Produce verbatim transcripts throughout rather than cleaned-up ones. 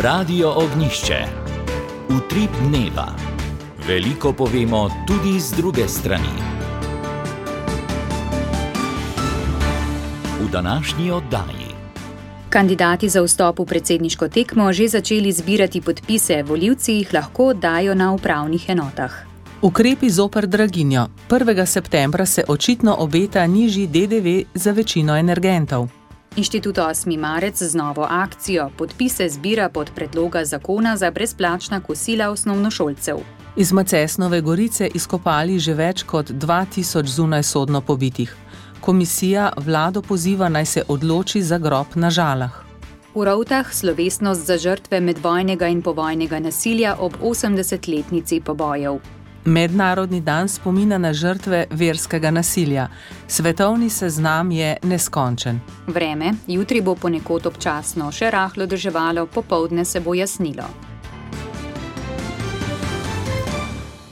Radio Ognjišče. Utrip dneva. Veliko povemo tudi z druge strani. V današnji oddaji. Kandidati za vstop v predsedniško tekmo že začeli zbirati podpise, volivci jih lahko oddajo na upravnih enotah. Ukrepi zoper draginjo. prvega septembra se očitno obeta nižji D D V za večino energentov. Inštitut osmi marec z novo akcijo podpise zbira pod predloga zakona za brezplačna kosila osnovnošolcev. Iz Macesnove Gorice izkopali že več kot dva tisoč zunajsodno pobitih. Komisija vlado poziva, naj se odloči za grob na Žalah. V Rovtah slovesnost za žrtve medvojnega in povojnega nasilja ob osemdesetletnici pobojev. Mednarodni dan spomina na žrtve verskega nasilja. Svetovni seznam je neskončen. Vreme, jutri bo ponekod občasno še rahlo deževalo, popoldne se bo jasnilo.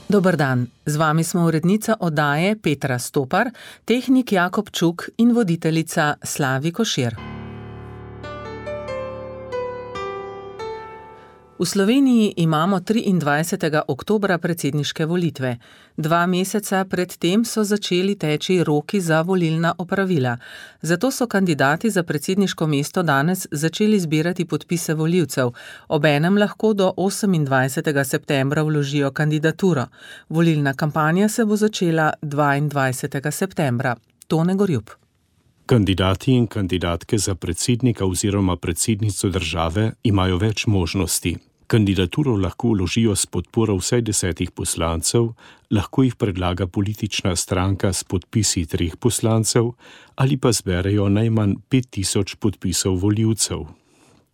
Dober dan, z vami smo urednica oddaje Petra Stopar, tehnik Jakob Čuk in voditeljica Slavi Košir. V Sloveniji imamo triindvajsetega oktobra predsedniške volitve. Dva meseca pred tem so začeli teči roki za volilna opravila. Zato so kandidati za predsedniško mesto danes začeli zbirati podpise volivcev. Obenem lahko do osemindvajsetega septembra vložijo kandidaturo. Volilna kampanja se bo začela dvaindvajsetega septembra. Tone Gorjup. Kandidati in kandidatke za predsednika oziroma predsednico države imajo več možnosti. Kandidaturo lahko vložijo s podporo vsaj desetih poslancev, lahko jih predlaga politična stranka s podpisi treh poslancev ali pa zberejo najmanj pet tisoč podpisov volivcev.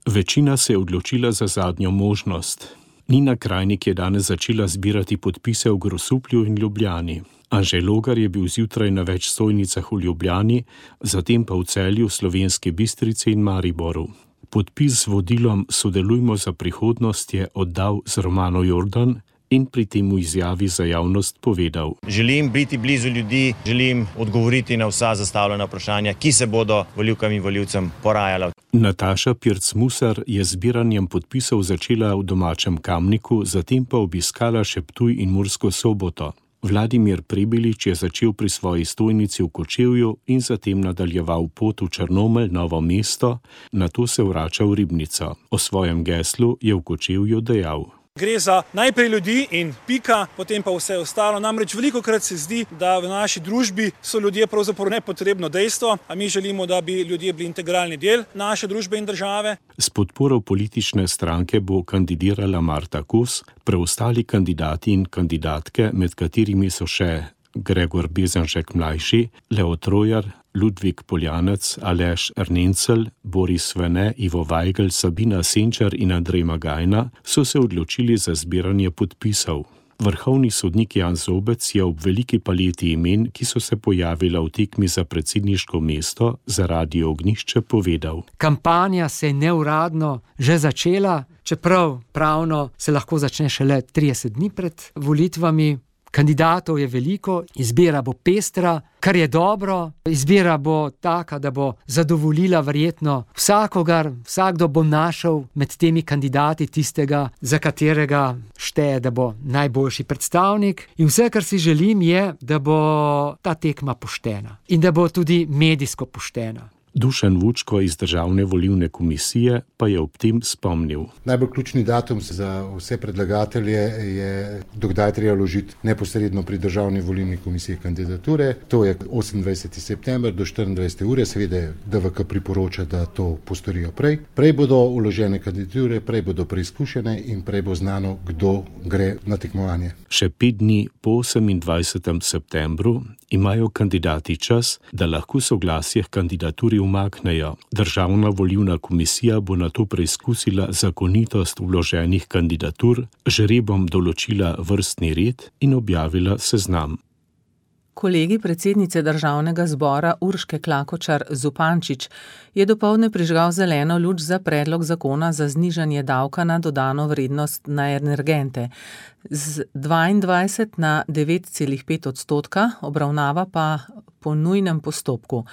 Večina se je odločila za zadnjo možnost. Nina Krajnik je danes začela zbirati podpise v Grosuplju in Ljubljani. Anže Logar je bil zjutraj na več stojnicah v Ljubljani, zatem pa v Celju, Slovenski Bistrici in Mariboru. Podpis z vodilom Sodelujmo za prihodnost je oddal z Romano Jordan in pri tem v izjavi za javnost povedal: Želim biti blizu ljudi, želim odgovoriti na vsa zastavljena vprašanja, ki se bodo volivkam in volivcem porajala. Nataša Pirc-Musar je z zbiranjem podpisov začela v domačem Kamniku, zatem pa obiskala še Ptuj in Mursko Soboto. Vladimir Prebilič je začel pri svoji stojnici v Kočevju in zatem nadaljeval pot v Črnomelj, Novo mesto, nato se vrača v Ribnico. O svojem geslu je v Kočevju dejal: Gre za najprej ljudi in pika, potem pa vse ostalo. Namreč velikokrat se zdi, da v naši družbi so ljudje pravzaprav nepotrebno dejstvo, a mi želimo, da bi ljudje bili integralni del naše družbe in države. S podporo politične stranke bo kandidirala Marta Kos, preostali kandidati in kandidatke, med katerimi so še Gregor Bezenšek mlajši, Leo Trojar, Ludvik Poljanec, Aleš Ernencelj, Boris Svene, Ivo Vajgl, Sabina Senčar in Andrej Magajna, so se odločili za zbiranje podpisov. Vrhovni sodnik Jan Zobec je ob veliki paleti imen, ki so se pojavila v tekmi za predsedniško mesto, za Radio Ognjišče povedal: Kampanja se je neuradno že začela, čeprav pravno se lahko začne šele trideset dni pred volitvami. Kandidatov je veliko, izbira bo pestra, kar je dobro, izbira bo taka, da bo zadovoljila verjetno vsakogar, vsakdo bo našel med temi kandidati tistega, za katerega šteje, da bo najboljši predstavnik. In vse, kar si želim, je, da bo ta tekma poštena in da bo tudi medijsko poštena. Dušan Vučko iz Državne volilne komisije pa je ob tem spomnil: Najbolj ključni datum za vse predlagatelje je, dokdaj treba vložiti neposredno pri Državni volilni komisiji kandidature. To je osemindvajseti september do štiriindvajsete ure, seveda D V K priporoča, da to postorijo prej. Prej bodo vložene kandidature, prej bodo preizkušene in prej bo znano, kdo gre na tekmovanje. Še pet dni po osemindvajsetem septembru imajo kandidati čas, da lahko soglasje k kandidaturi umaknejo. Državna volilna komisija bo nato preizkusila zakonitost vloženih kandidatur, žrebom določila vrstni red in objavila seznam. Kolegij predsednice Državnega zbora Urške Klakočar Zupančič je dopoldne prižgal zeleno luč za predlog zakona za znižanje davka na dodano vrednost na energente. Z dvaindvajset na devet celih pet odstotka, obravnava pa po nujnem postopku.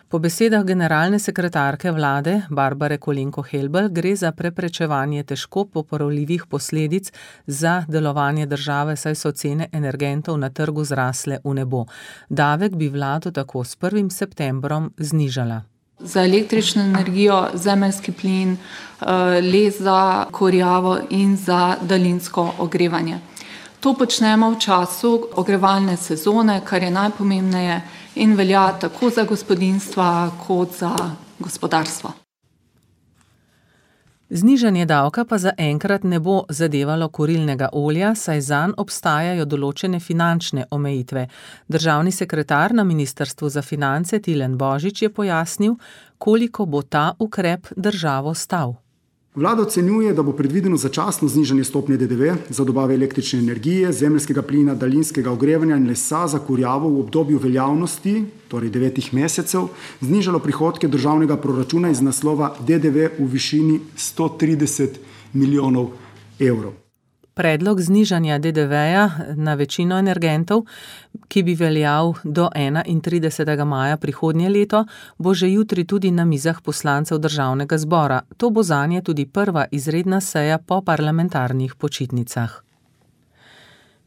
Po besedah generalne sekretarke vlade Barbare Kolenko-Helbl gre za preprečevanje težko popravljivih posledic za delovanje države, saj so cene energentov na trgu zrasle v nebo. Davek bi vlado tako s prvim septembrom znižala. Za električno energijo, zemeljski plin, les za kurjavo in za daljinsko ogrevanje. To počnemo v času ogrevalne sezone, kar je najpomembneje in velja tako za gospodinjstva kot za gospodarstvo. Znižanje davka pa zaenkrat ne bo zadevalo kurilnega olja, saj zanj obstajajo določene finančne omejitve. Državni sekretar na Ministrstvu za finance Tilen Božič je pojasnil, koliko bo ta ukrep državo stal. Vlada ocenjuje, da bo predvideno začasno znižanje stopnje D D V za dobave električne energije, zemeljskega plina, daljinskega ogrevanja in lesa za kurjavo v obdobju veljavnosti, torej devetih mesecev, znižalo prihodke državnega proračuna iz naslova D D V v višini sto trideset milijonov evrov. Predlog znižanja D D V-ja na večino energentov, ki bi veljal do enaintridesetega maja prihodnje leto, bo že jutri tudi na mizah poslancev Državnega zbora. To bo zanje tudi prva izredna seja po parlamentarnih počitnicah.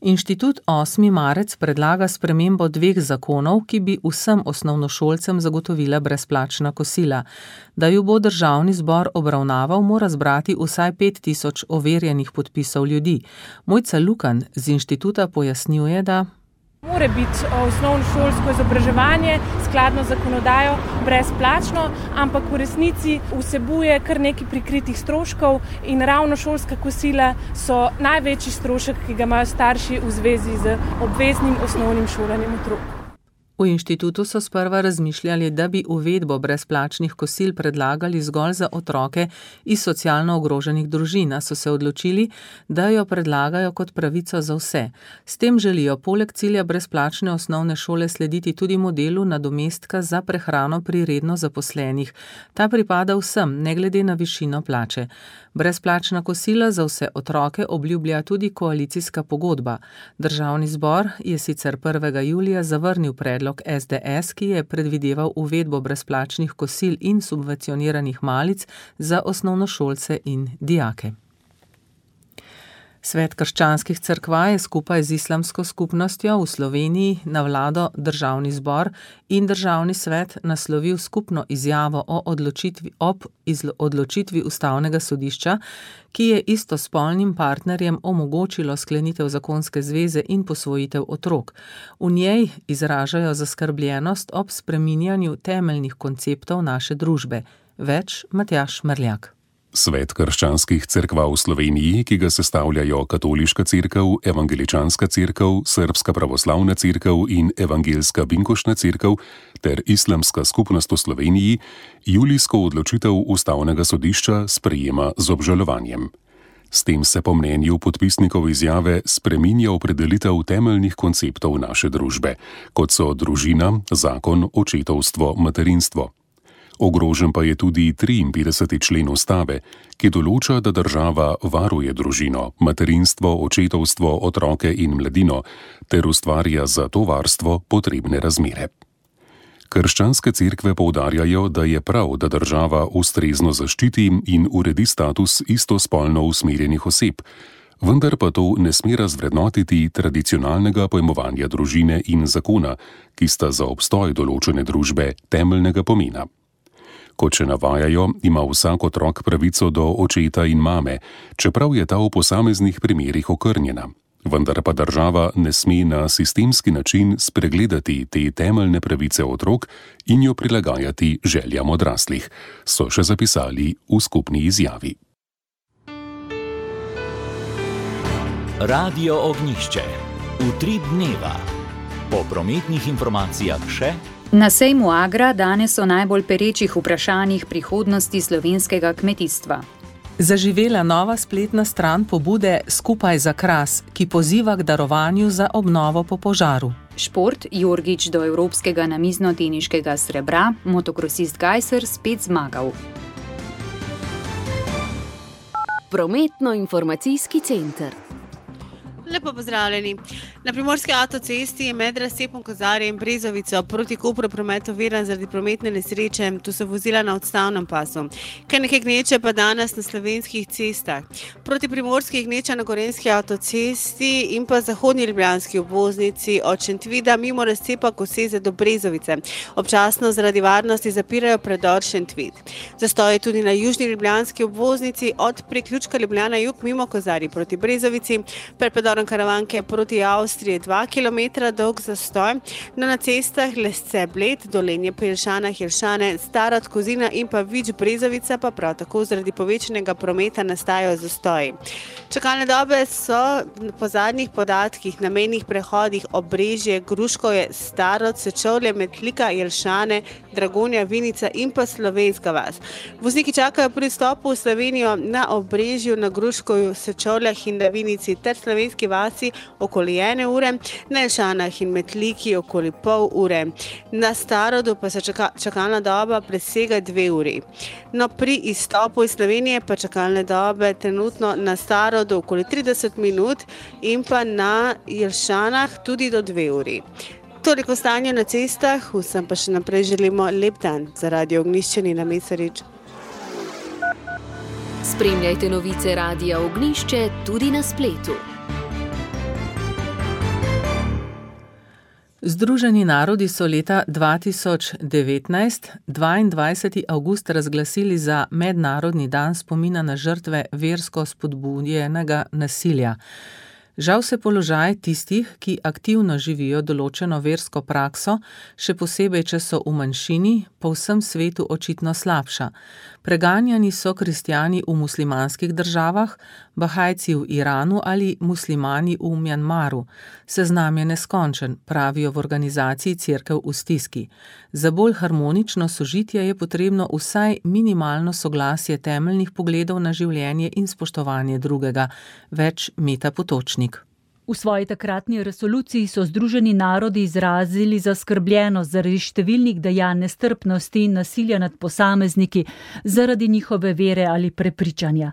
Inštitut osmi marec predlaga spremembo dveh zakonov, ki bi vsem osnovnošolcem zagotovila brezplačna kosila. Da ju bo Državni zbor obravnaval, mora zbrati vsaj pet tisoč overjenih podpisov ljudi. Mojca Lukan z inštituta pojasnjuje, da mora biti osnovnošolsko izobraževanje skladno z zakonodajo brezplačno, ampak v resnici vsebuje kar nekaj prikritih stroškov in ravno šolska kosila so največji strošek, ki ga imajo starši v zvezi z obveznim osnovnim šolanjem otrok. V inštitutu so sprva razmišljali, da bi uvedbo brezplačnih kosil predlagali zgolj za otroke iz socialno ogroženih družin, a so se odločili, da jo predlagajo kot pravico za vse. S tem želijo poleg cilja brezplačne osnovne šole slediti tudi modelu nadomestka za prehrano pri redno zaposlenih. Ta pripada vsem, ne glede na višino plače. Brezplačna kosila za vse otroke obljublja tudi koalicijska pogodba. Državni zbor je sicer prvega julija zavrnil predlog S D S, ki je predvideval uvedbo brezplačnih kosil in subvencioniranih malic za osnovnošolce in dijake. Svet krščanskih cerkva je skupaj z islamsko skupnostjo v Sloveniji na vlado, Državni zbor in Državni svet naslovil skupno izjavo o odločitvi ob odločitvi Ustavnega sodišča, ki je istospolnim partnerjem omogočilo sklenitev zakonske zveze in posvojitev otrok. V njej izražajo zaskrbljenost ob spreminjanju temeljnih konceptov naše družbe. Več Matjaž Merljak. Svet krščanskih cerkva v Sloveniji, ki ga sestavljajo Katoliška cerkev, Evangeličanska cerkev, Srbska pravoslavna cerkev in Evangelska binkošna cerkev ter Islamska skupnost v Sloveniji, julijsko odločitev Ustavnega sodišča sprejema z obžalovanjem. S tem se po mnenju podpisnikov izjave spreminja opredelitev temeljnih konceptov naše družbe, kot so družina, zakon, očetovstvo, materinstvo. Ogrožen pa je tudi triinpetdeseti člen ustave, ki določa, da država varuje družino, materinstvo, očetovstvo, otroke in mladino ter ustvarja za to varstvo potrebne razmere. Krščanske cerkve poudarjajo, da je prav, da država ustrezno zaščiti in uredi status istospolno usmerjenih oseb, vendar pa to ne sme razvrednotiti tradicionalnega pojmovanja družine in zakona, ki sta za obstoj določene družbe temeljnega pomena. Kot še navajajo, ima vsak otrok pravico do očeta in mame, čeprav je ta v posameznih primerih okrnjena. Vendar pa država ne sme na sistemski način spregledati te temeljne pravice otrok in jo prilagajati željam odraslih, so še zapisali v skupni izjavi. Radio Ognjišče. Utrip dneva. Po prometnih informacijah še Na sejmu Agra danes o najbolj perečih vprašanjih prihodnosti slovenskega kmetijstva. Zaživela nova spletna stran pobude Skupaj za Kras, ki poziva k darovanju za obnovo po požaru. Šport, Jorgič do evropskega namizno-teniškega srebra, motokrosist Gajser spet zmagal. Prometno-informacijski center. Lepo pozdravljeni. Na primorski avtocesti je med razcepom Kozarja in Brezovico proti Kopru promet oviran zaradi prometne nesreče. Tu so vozila na odstavnem pasu. Kar nekaj gneče pa danes na slovenskih cestah. Proti primorski gneča na gorenjski avtocesti in pa zahodnji ljubljanski obvoznici od Šentvida mimo razcepa Koseze do Brezovice. Občasno zaradi varnosti zapirajo predor Šentvid. Zastoj je tudi na južni ljubljanski obvoznici od priključka Ljubljana jug mimo Kozarji proti Brezovici, pred predorom Karavanke proti Avstriji dva kilometra dolg zastoj. No, na cestah Lesce Bled, Dolenje pri Jelšanah, Jelšane, Starod Kozina in pa Vič Brezovica pa prav tako zaradi povečanega prometa nastajajo zastoji. Čakalne dobe so po zadnjih podatkih na mejnih prehodih Obrežje, Gruškovje, Starod, Sečovlje, Metlika, Jelšane, Dragonja, Vinica in pa Slovenska vas. Vozniki čakajo pri vstopu v Slovenijo na Obrežju, na Gruškovju, Sečovljah in na Vinici ter Slovenski vasi okoli ene ure, na Jelšanah in Metliki okoli pol ure. Na Starodu pa se čaka, čakalna doba presega dve uri. No, pri izstopu iz Slovenije pa čakalne dobe trenutno na Starodu okoli trideset minut in pa na Jelšanah tudi do dve uri. Toliko stanja na cestah, vsem pa še naprej želimo lep dan. Za Radio Ognjišče Nina Mesarič. Spremljajte novice Radia Ognjišče tudi na spletu. Združeni narodi so leta dva tisoč devetnajst, dvaindvajseti avgust, razglasili za mednarodni dan spomina na žrtve versko spodbujenega nasilja. Žal se položaj tistih, ki aktivno živijo določeno versko prakso, še posebej, če so v manjšini, po vsem svetu očitno slabša. Preganjani so kristjani v muslimanskih državah, bahajci v Iranu ali muslimani v Mjanmaru. Seznam je neskončen, pravijo v organizaciji Cerkev v stiski. Za bolj harmonično sožitje je potrebno vsaj minimalno soglasje temeljnih pogledov na življenje in spoštovanje drugega. Več Meta Potočnik. V svoji takratni resoluciji so Združeni narodi izrazili zaskrbljenost zaradi številnih dejanj nestrpnosti in nasilja nad posamezniki zaradi njihove vere ali prepričanja.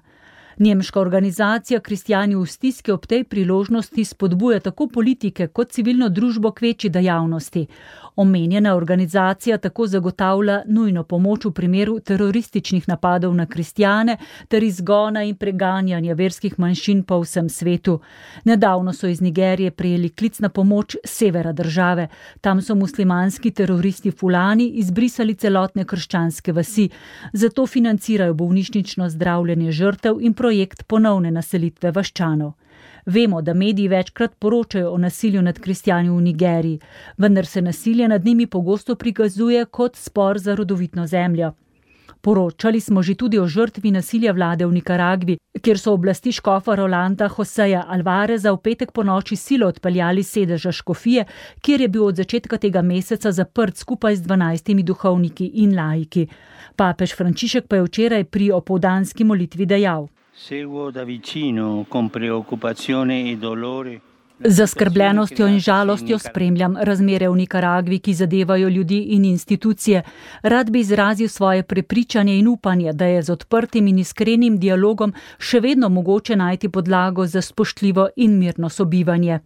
Nemška organizacija Kristjani v stiski ob tej priložnosti spodbuja tako politike kot civilno družbo k večji dejavnosti. Omenjena organizacija tako zagotavlja nujno pomoč v primeru terorističnih napadov na kristjane ter izgona in preganjanja verskih manjšin po vsem svetu. Nedavno so iz Nigerije prejeli klic na pomoč severa države. Tam so muslimanski teroristi Fulani izbrisali celotne krščanske vasi. Zato financirajo bolnišnično zdravljenje žrtev in projekt ponovne naselitve vaščanov. Vemo, da mediji večkrat poročajo o nasilju nad kristjani v Nigeriji, vendar se nasilje nad njimi pogosto prikazuje kot spor za rodovitno zemljo. Poročali smo že tudi o žrtvi nasilja vlade v Nikaragvi, kjer so oblasti škofa Rolanda Joseja Alvareza v petek ponoči silo odpeljali sedeža škofije, kjer je bil od začetka tega meseca zaprt skupaj z dvanajstimi duhovniki in laiki. Papež Frančišek pa je včeraj pri opoldanski molitvi dejal: Seguo da vicino con preoccupazione e dolore. Z zaskrbljenostjo in žalostjo spremljam razmere v Nikaragvi, ki zadevajo ljudi in institucije. Rad bi izrazil svoje prepričanje in upanje, da je z odprtim in iskrenim dialogom še vedno mogoče najti podlago za spoštljivo in mirno sobivanje.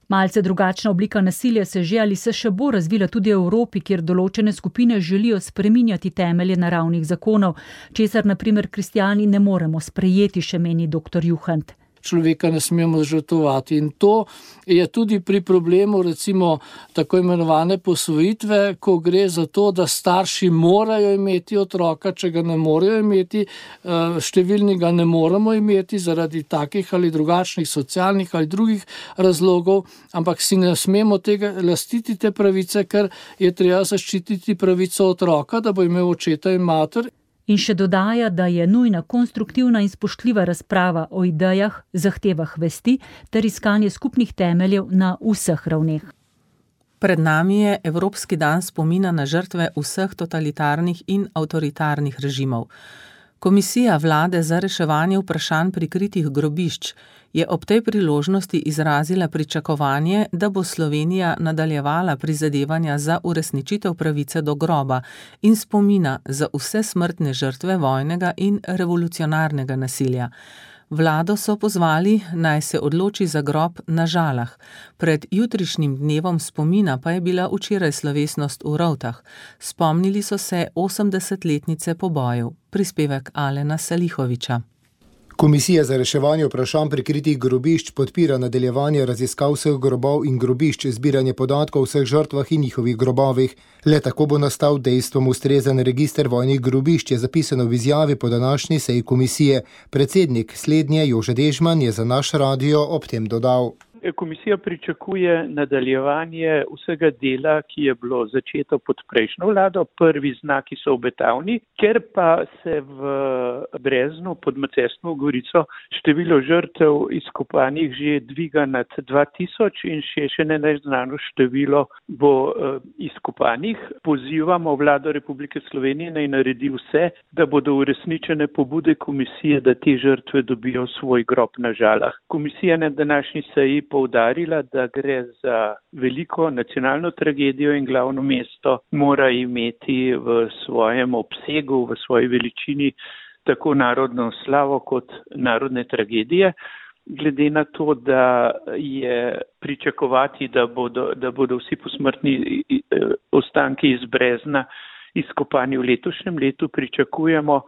Malce drugačna oblika nasilja se že ali se še bo razvila tudi v Evropi, kjer določene skupine želijo spreminjati temelje naravnih zakonov, česar na primer kristjani ne moremo sprejeti, še meni doktor Juhant. Človeka ne smemo žrtvovati in to je tudi pri problemu recimo tako imenovane posvojitve, ko gre za to, da starši morajo imeti otroka, če ga ne morejo imeti, številni ga ne moremo imeti zaradi takih ali drugačnih socialnih ali drugih razlogov, ampak si ne smemo tega lastiti te pravice, ker je treba zaščititi pravico otroka, da bo imel očeta in mater. In še dodaja, da je nujna konstruktivna in spoštljiva razprava o idejah, zahtevah vesti ter iskanje skupnih temeljev na vseh ravneh. Pred nami je Evropski dan spomina na žrtve vseh totalitarnih in avtoritarnih režimov. Komisija vlade za reševanje vprašanj prikritih grobišč je ob tej priložnosti izrazila pričakovanje, da bo Slovenija nadaljevala prizadevanja za uresničitev pravice do groba in spomina za vse smrtne žrtve vojnega in revolucionarnega nasilja. Vlado so pozvali, naj se odloči za grob na Žalah. Pred jutrišnjim dnevom spomina pa je bila včeraj slovesnost v Rovtah. Spomnili so se osemdesetletnice pobojev. Prispevek Alena Salihoviča. Komisija za reševanje vprašanj prikritih grobišč podpira nadaljevanje raziskav vseh grobov in grobišč, zbiranje podatkov o vseh žrtvah in njihovih grobovih. Le tako bo nastal dejstvom ustrezen register vojnih grobišč, je zapisano v izjavi po današnji seji komisije. Predsednik slednje Jože Dežman je za naš radio ob tem dodal. Komisija pričakuje nadaljevanje vsega dela, ki je bilo začeto pod prejšnjo vlado. Prvi znaki so obetavni, ker pa se v Breznu pod Macesnovo Gorico število žrtev izkopanih že dviga nad dva tisoč in še še neznano število bo uh, izkopanih. Pozivamo vlado Republike Slovenije naj naredi vse, da bodo uresničene pobude komisije, da te žrtve dobijo svoj grob na Žalah. Komisija na današnji seji poudarila, da gre za veliko nacionalno tragedijo in glavno mesto mora imeti v svojem obsegu, v svoji veličini tako narodno slavo kot narodne tragedije. Glede na to, da je pričakovati, da bodo, da bodo vsi posmrtni ostanki iz Brezna izkopani v letošnjem letu, pričakujemo,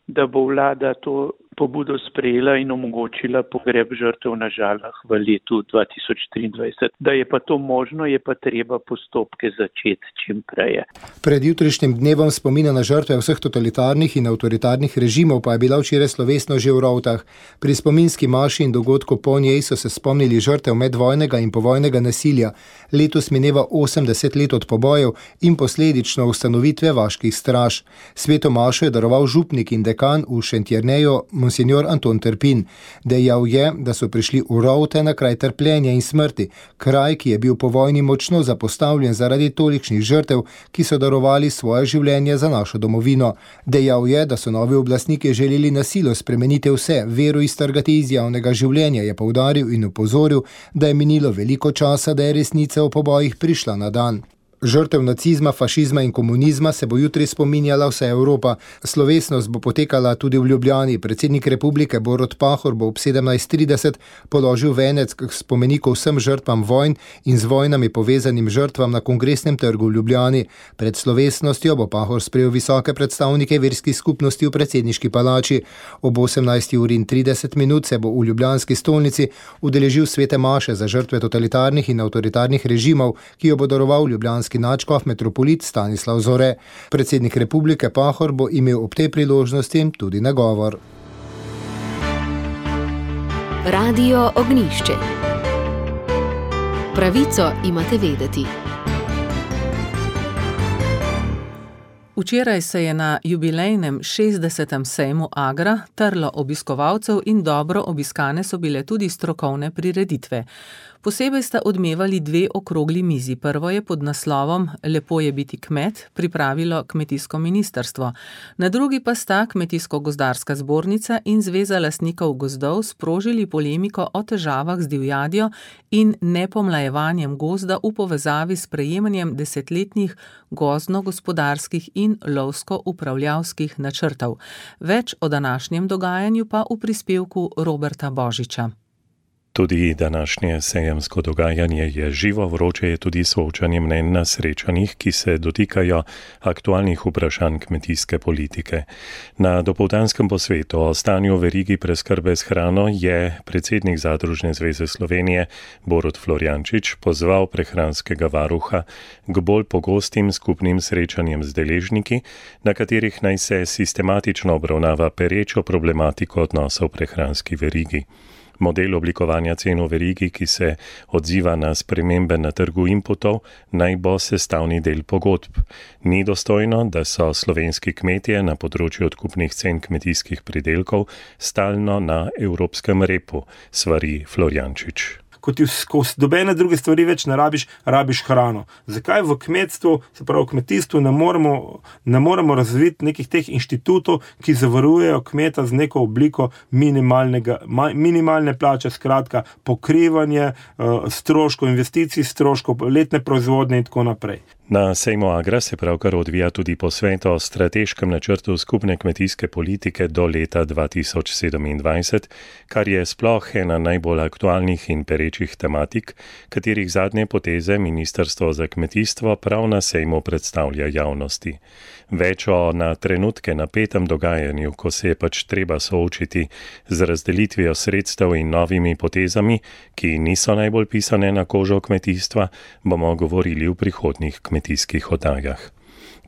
da bo vlada to pobudo sprejela in omogočila pogreb žrtev na Žalah v letu dva tisoč triindvajset. Da je pa to možno, je pa treba postopke začeti čim prej. Pred jutrišnjim dnevom spomina na žrtve vseh totalitarnih in avtoritarnih režimov pa je bila včeraj slovesno že v Rovtah. Pri spominski maši in dogodku po njej so se spomnili žrtev medvojnega in povojnega nasilja. Letos mineva osemdeset let od pobojev in posledično ustanovitve vaških straž. Sveto mašo je daroval župnik in dekan v Šentjerneju Monsignor Anton Trpin. Dejal je, da so prišli v Rovte na kraj trpljenja in smrti, kraj, ki je bil po vojni močno zapostavljen zaradi tolikšnih žrtev, ki so darovali svoje življenje za našo domovino. Dejal je, da so novi oblastniki želeli na silo spremeniti vse, vero iztrgati iz javnega življenja, je poudaril in opozoril, da je minilo veliko časa, da je resnica o pobojih prišla na dan. Žrtev nacizma, fašizma in komunizma se bo jutri spominjala vsa Evropa. Slovesnost bo potekala tudi v Ljubljani. Predsednik republike Borut Pahor bo ob sedemnajst trideset položil venec k spomeniku vsem žrtvam vojn in z vojnami povezanim žrtvam na Kongresnem trgu v Ljubljani. Pred slovesnostjo bo Pahor sprejel visoke predstavnike verskih skupnosti v predsedniški palači. Ob osemnajsti uri in trideset minut se bo v ljubljanski stolnici udeležil svete maše za žrtve totalitarnih in avtoritarnih režimov, ki jo bo daroval ljubljanski nadškof metropolit Stanislav Zore. Predsednik republike Pahor bo imel ob tej priložnosti tudi nagovor. Radio Ognjišče. Pravico imate vedeti. Včeraj se je na jubilejnem šestdesetem sejmu Agra trlo obiskovalcev in dobro obiskane so bile tudi strokovne prireditve. Posebej sta odmevali dve okrogli mizi. Prvo je pod naslovom Lepo je biti kmet pripravilo kmetijsko ministrstvo. Na drugi pa sta Kmetijsko-gozdarska zbornica in Zveza lastnikov gozdov sprožili polemiko o težavah z divjadjo in nepomlajevanjem gozda v povezavi s prejemanjem desetletnih gozdno-gospodarskih in lovsko-upravljavskih načrtov. Več o današnjem dogajanju pa v prispevku Roberta Božiča. Tudi današnje sejemsko dogajanje je živo, vroče je tudi soočanje mnenj na srečanjih, ki se dotikajo aktualnih vprašanj kmetijske politike. Na dopoldanskem posvetu o stanju v verigi preskrbe s hrano je predsednik Zadružne zveze Slovenije Borut Florjančič pozval prehranskega varuha k bolj pogostim skupnim srečanjem z deležniki, na katerih naj se sistematično obravnava perečo problematiko odnosov v prehranski verigi. Model oblikovanja cen v verigi, ki se odziva na spremembe na trgu inputov, naj bo sestavni del pogodb. Ni dostojno, da so slovenski kmetje na področju odkupnih cen kmetijskih pridelkov stalno na evropskem repu, svari Florjančič. ko ti skozi dobene druge stvari več ne rabiš, rabiš hrano. Zakaj v kmetstvu, se pravi v kmetijstvu, ne moremo, ne moremo razviti nekih teh inštitutov, ki zavarujejo kmeta z neko obliko minimalnega, minimalne plače, skratka pokrivanje uh, stroškov, investicij, stroškov, letne proizvodnje in tako naprej. Na sejmu Agra se pravkar odvija tudi posvet o strateškem načrtu skupne kmetijske politike do leta dva tisoč sedemindvajset, kar je sploh ena najbolj aktualnih in perečih tematik, katerih zadnje poteze Ministrstvo za kmetijstvo prav na sejmu predstavlja javnosti. Več o na trenutke napetem dogajanju, ko se je pač treba soočiti z razdelitvijo sredstev in novimi potezami, ki niso najbolj pisane na kožo kmetijstva, bomo govorili v prihodnjih kmetijskih oddajah.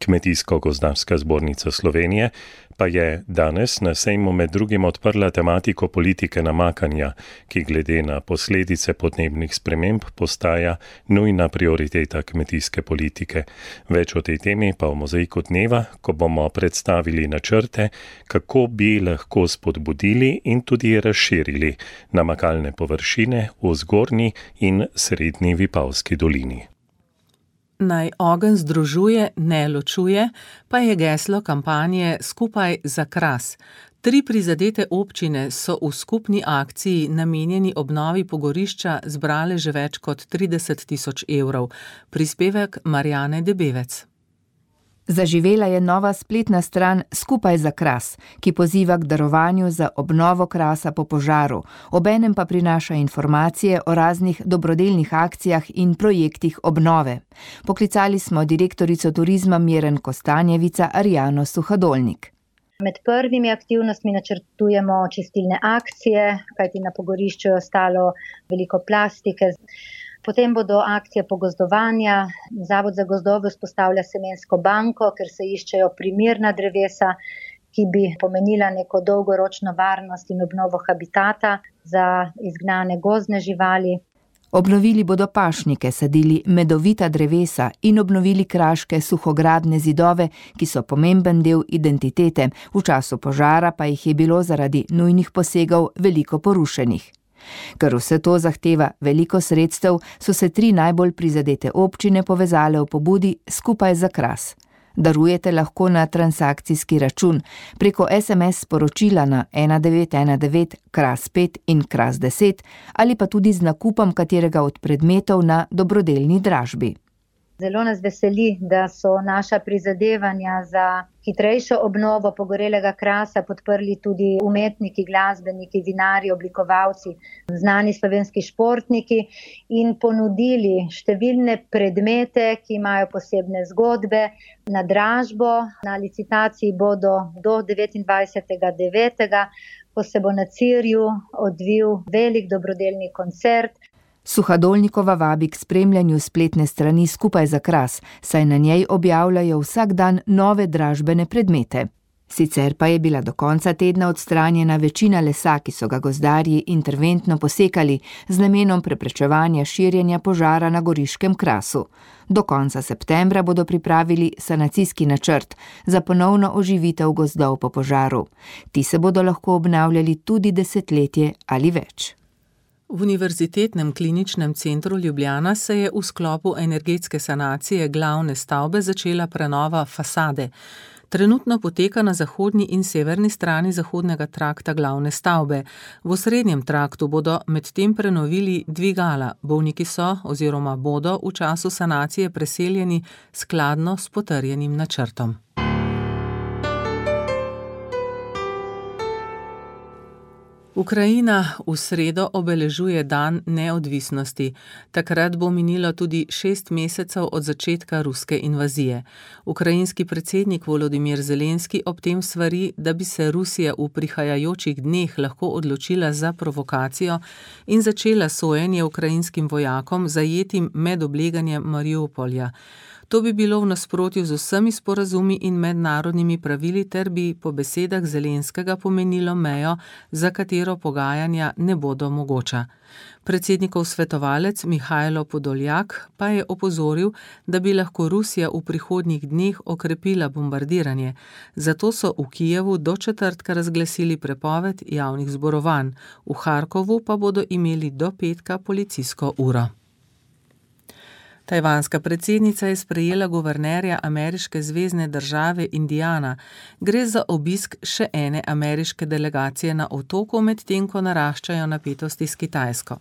Kmetijsko-gozdarska zbornica Slovenije pa je danes na sejmu med drugim odprla tematiko politike namakanja, ki glede na posledice podnebnih sprememb postaja nujna prioriteta kmetijske politike. Več o tej temi pa v mozaiku dneva, ko bomo predstavili načrte, kako bi lahko spodbudili in tudi razširili namakalne površine v zgornji in srednji Vipavski dolini. Naj ogenj združuje, ne ločuje, pa je geslo kampanje Skupaj za Kras. Tri prizadete občine so v skupni akciji namenjeni obnovi pogorišča zbrale že več kot trideset tisoč evrov. Prispevek Marjane Debevec. Zaživela je nova spletna stran Skupaj za Kras, ki poziva k darovanju za obnovo Krasa po požaru, obenem pa prinaša informacije o raznih dobrodelnih akcijah in projektih obnove. Poklicali smo direktorico turizma Miren Kostanjevica Arjano Suhadolnik. Med prvimi aktivnostmi načrtujemo čistilne akcije, kajti na pogorišču je ostalo veliko plastike. Potem bodo akcije pogozdovanja. Zavod za gozdove vzpostavlja semensko banko, ker se iščejo primerna drevesa, ki bi pomenila neko dolgoročno varnost in obnovo habitata za izgnane gozdne živali. Obnovili bodo pašnike, sadili medovita drevesa in obnovili kraške suhogradne zidove, ki so pomemben del identitete. V času požara pa jih je bilo zaradi nujnih posegov veliko porušenih. Ker vse to zahteva veliko sredstev, so se tri najbolj prizadete občine povezale v pobudi Skupaj za Kras. Darujete lahko na transakcijski račun preko es em es sporočila na ena devet ena devet kras pet in kras deset ali pa tudi z nakupom katerega od predmetov na dobrodelni dražbi. Zelo nas veseli, da so naša prizadevanja za hitrejšo obnovo pogorelega Krasa podprli tudi umetniki, glasbeniki, vinarji, oblikovalci, znani slovenski športniki in ponudili številne predmete, ki imajo posebne zgodbe na dražbo. Na licitaciji bodo do devetindvajsetega devetega, ko se bo na Cirju odvil velik dobrodelni koncert. Suhadolnikova vabi k spremljanju spletne strani Skupaj za Kras, saj na njej objavljajo vsak dan nove dražbene predmete. Sicer pa je bila do konca tedna odstranjena večina lesa, ki so ga gozdarji interventno posekali z namenom preprečevanja širjenja požara na goriškem Krasu. Do konca septembra bodo pripravili sanacijski načrt za ponovno oživitev gozdov po požaru. Ti se bodo lahko obnavljali tudi desetletje ali več. V Univerzitetnem kliničnem centru Ljubljana se je v sklopu energetske sanacije glavne stavbe začela prenova fasade. Trenutno poteka na zahodni in severni strani zahodnega trakta glavne stavbe. V osrednjem traktu bodo medtem prenovili dvigala. Bolniki so oziroma bodo v času sanacije preseljeni skladno s potrjenim načrtom. Ukrajina v sredo obeležuje dan neodvisnosti. Takrat bo minilo tudi šest mesecev od začetka ruske invazije. Ukrajinski predsednik Volodimir Zelenski ob tem svari, da bi se Rusija v prihajajočih dneh lahko odločila za provokacijo in začela sojenje ukrajinskim vojakom zajetim med obleganjem Mariupolja. To bi bilo v nasprotju z vsemi sporazumi in mednarodnimi pravili ter bi po besedah Zelenskega pomenilo mejo, za katero pogajanja ne bodo mogoča. Predsednikov svetovalec Mihajlo Podoljak pa je opozoril, da bi lahko Rusija v prihodnjih dneh okrepila bombardiranje. Zato so v Kijevu do četrtka razglasili prepoved javnih zborovanj. V Harkovu pa bodo imeli do petka policijsko uro. Tajvanska predsednica je sprejela guvernerja ameriške zvezne države Indiana. Gre za obisk še ene ameriške delegacije na otoku, medtem ko naraščajo napetosti s Kitajsko.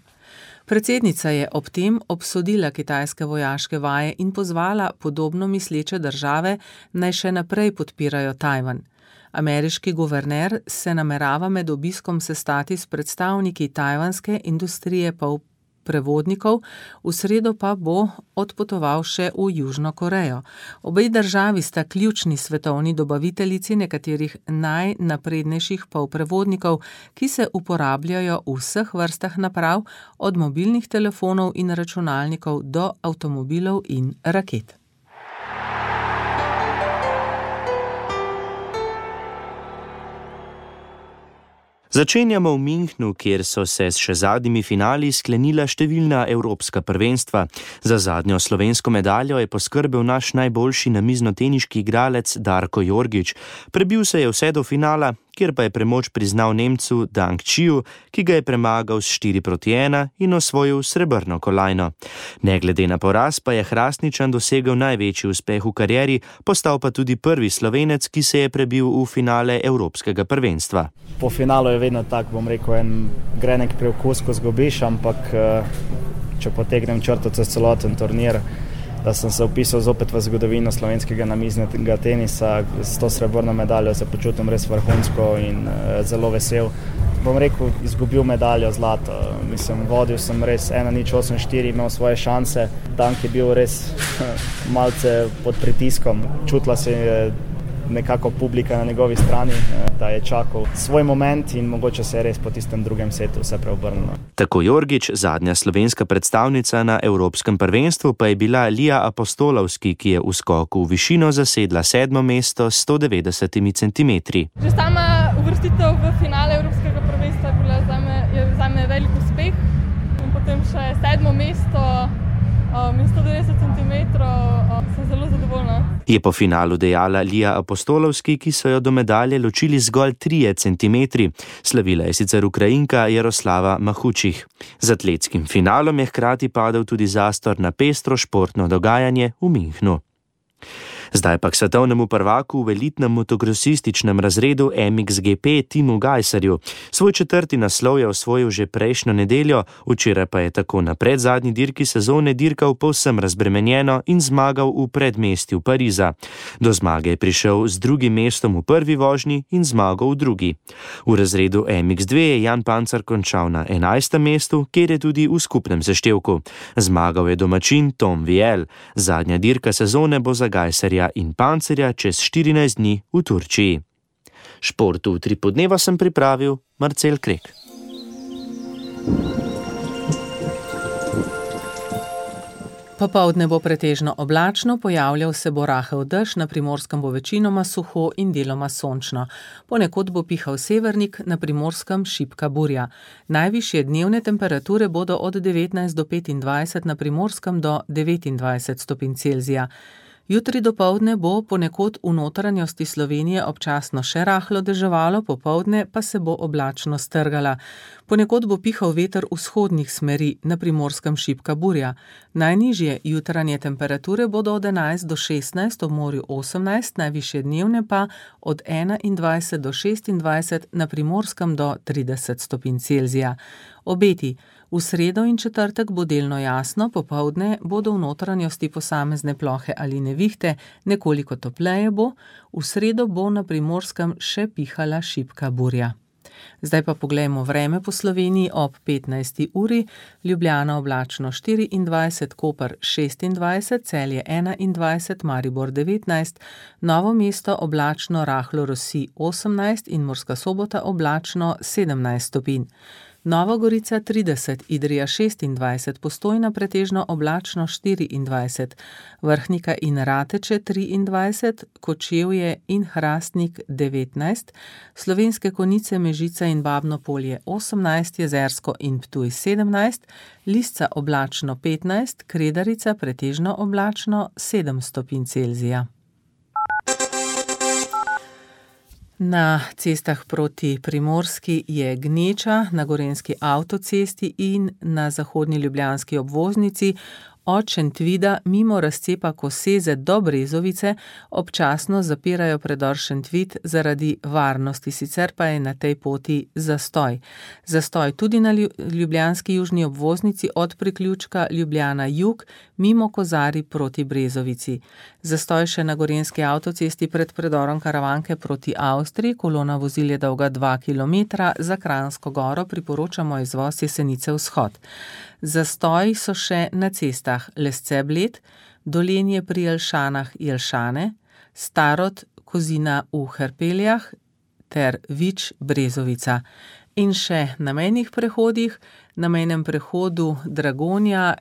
Predsednica je ob tem obsodila kitajske vojaške vaje in pozvala podobno misleče države, naj še naprej podpirajo Tajvan. Ameriški guverner se namerava med obiskom sestati s predstavniki tajvanske industrije pol prevodnikov, v sredo pa bo odpotoval še v Južno Korejo. Obe državi sta ključni svetovni dobaviteljici nekaterih najnaprednejših polprevodnikov, ki se uporabljajo v vseh vrstah naprav, od mobilnih telefonov in računalnikov do avtomobilov in raket. Začenjamo v Münchnu, kjer so se s še zadnjimi finali sklenila številna evropska prvenstva. Za zadnjo slovensko medaljo je poskrbel naš najboljši namiznoteniški igralec Darko Jorgič. Prebil se je vse do finala, kjer pa je premoč priznal Nemcu Dang Čiju, ki ga je premagal s štiri proti ena in osvojil srebrno kolajno. Ne glede na poraz pa je Hrastničan dosegel največji uspeh v karieri, postal pa tudi prvi Slovenec, ki se je prebil v finale evropskega prvenstva. Po finalu je vedno tak, bom rekel, en grenek preokus, ko zgubiš, ampak če potegnem črto čez celoten turnir, da sem se vpisal zopet v zgodovino slovenskega namiznega tenisa, s to srebrno medaljo se počutim res vrhunsko in zelo vesel. Bom rekel, izgubil medaljo zlato. Mislim, vodil sem res ena nič osem štiri, imel svoje šanse. Dank je bil res malce pod pritiskom. Čutila se je nekako publika na njegovi strani, da je čakal svoj moment in mogoče se je res po tistem drugem setu vse preobrnilo. Tako Jorgič, zadnja slovenska predstavnica na evropskem prvenstvu, pa je bila Lija Apostolovski, ki je v skoku v višino zasedla sedmo mesto s sto devetdeset centimetri. Že sama uvrstitev v finale evropskega prvenstva je bila zame, je zame velik uspeh in potem še sedmo mesto in sto devetdeset centimetrov, sem zelo zadovoljna. Je po finalu dejala Lija Apostolovski, ki so jo do medalje ločili zgolj trije centimetri. Slavila je sicer Ukrajinka Jaroslava Mahučih. Z atletskim finalom je hkrati padel tudi zastor na pestro športno dogajanje v Münchnu. Zdaj pa k svetovnemu prvaku v elitnem motokrosističnem razredu M X G P Timu Gajserju. Svoj četrti naslov je osvojil že prejšnjo nedeljo, včeraj pa je tako na predzadnji dirki sezone dirkal povsem razbremenjeno in zmagal v predmestju Pariza. Do zmage je prišel z drugim mestom v prvi vožnji in zmagal v drugi. V razredu M X dve je Jan Pancar končal na enajstem mestu, kjer je tudi v skupnem seštevku. Zmagal je domačin Tom Viel. Zadnja dirka sezone bo za Gajserja in Pancerja čez štirinajst dni v Turčiji. Športu v tri podneva sem pripravil Marcel Krek. Popoldne bo pretežno oblačno, pojavljal se bo rahel dež, na Primorskem bo večinoma suho in deloma sončno. Ponekod bo pihal severnik, na Primorskem šibka burja. Najvišje dnevne temperature bodo od devetnajst do petindvajset, na Primorskem do devetindvajset stopinj Celzija. Jutri dopoldne bo ponekod v notranjosti Slovenije občasno še rahlo deževalo, popoldne pa se bo oblačno strgala. Ponekod bo pihal veter vzhodnih smeri, na Primorskem šibka burja. Najnižje jutranje temperature bodo od enajst do šestnajst, ob morju osemnajst, najvišje dnevne pa od enaindvajset do šestindvajset, na Primorskem do trideset stopinj Celzija. Obeti. V sredo in četrtek bo delno jasno, popoldne bodo v notranjosti posamezne plohe ali nevihte, nekoliko topleje bo, v sredo bo na Primorskem še pihala šibka burja. Zdaj pa poglejmo vreme po Sloveniji ob petnajsti uri, Ljubljana oblačno štiriindvajset, Koper šestindvajset, Celje enaindvajset, Maribor devetnajst, Novo mesto oblačno rahlo rosi osemnajst in Murska Sobota oblačno sedemnajst stopinj. Nova Gorica trideset, Idrija šestindvajset, Postojna pretežno oblačno štiriindvajset, Vrhnika in Rateče triindvajset, Kočevje in Hrastnik devetnajst, Slovenske Konjice, Mežica in Babno Polje osemnajst, Jezersko in Ptuj sedemnajst, Lisca oblačno petnajst, Kredarica pretežno oblačno sedem stopinj Celzija. Na cestah proti Primorski je gneča, na gorenjski avtocesti in na zahodni ljubljanski obvoznici od Šentvida mimo razcepa Koseze do Brezovice občasno zapirajo predor Šentvid zaradi varnosti, sicer pa je na tej poti zastoj. Zastoj tudi na ljubljanski južni obvoznici od priključka Ljubljana jug mimo Kozari proti Brezovici. Zastoj še na gorenjski avtocesti pred predorom Karavanke proti Avstriji, kolona vozil je dolga dva kilometra, za Kranjsko Goro priporočamo izvoz Jesenice vzhod. Zastoj so še na cestah Lesce-Bled, Dolenje pri Jelšanah Jelšane, Starod Kozina v Hrpeljah ter Vič Brezovica. In še na mejnih prehodih, na mejnem prehodu Dragonja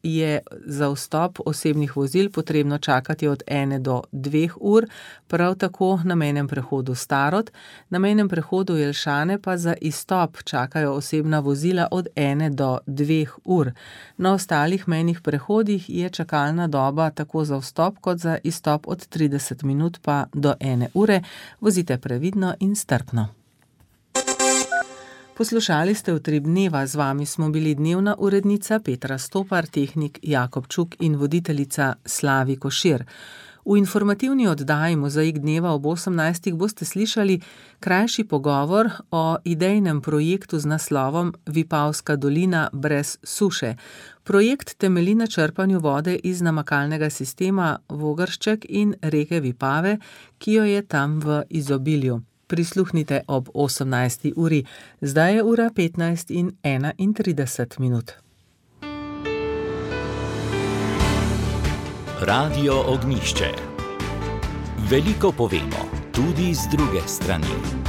je za vstop osebnih vozil potrebno čakati od ene do dveh ur, prav tako na mejnem prehodu Starod, na mejnem prehodu Jelšane pa za izstop čakajo osebna vozila od ene do dveh ur. Na ostalih mejnih prehodih je čakalna doba tako za vstop kot za izstop od trideset minut pa do ene ure. Vozite previdno in strpno. Poslušali ste Utrip dneva, z vami smo bili dnevna urednica Petra Stopar, tehnik Jakob Čuk in voditeljica Slavi Košir. V informativni oddaji Mozaik dneva ob osemnajstih boste slišali krajši pogovor o idejnem projektu z naslovom Vipavska dolina brez suše. Projekt temelji na črpanju vode iz namakalnega sistema Vogršček in reke Vipave, ki jo je tam v izobilju. Prisluhnite ob osemnajsti uri. Zdaj je ura petnajst in enaintrideset minut. Radio Ognjišče. Veliko povemo, tudi z druge strani.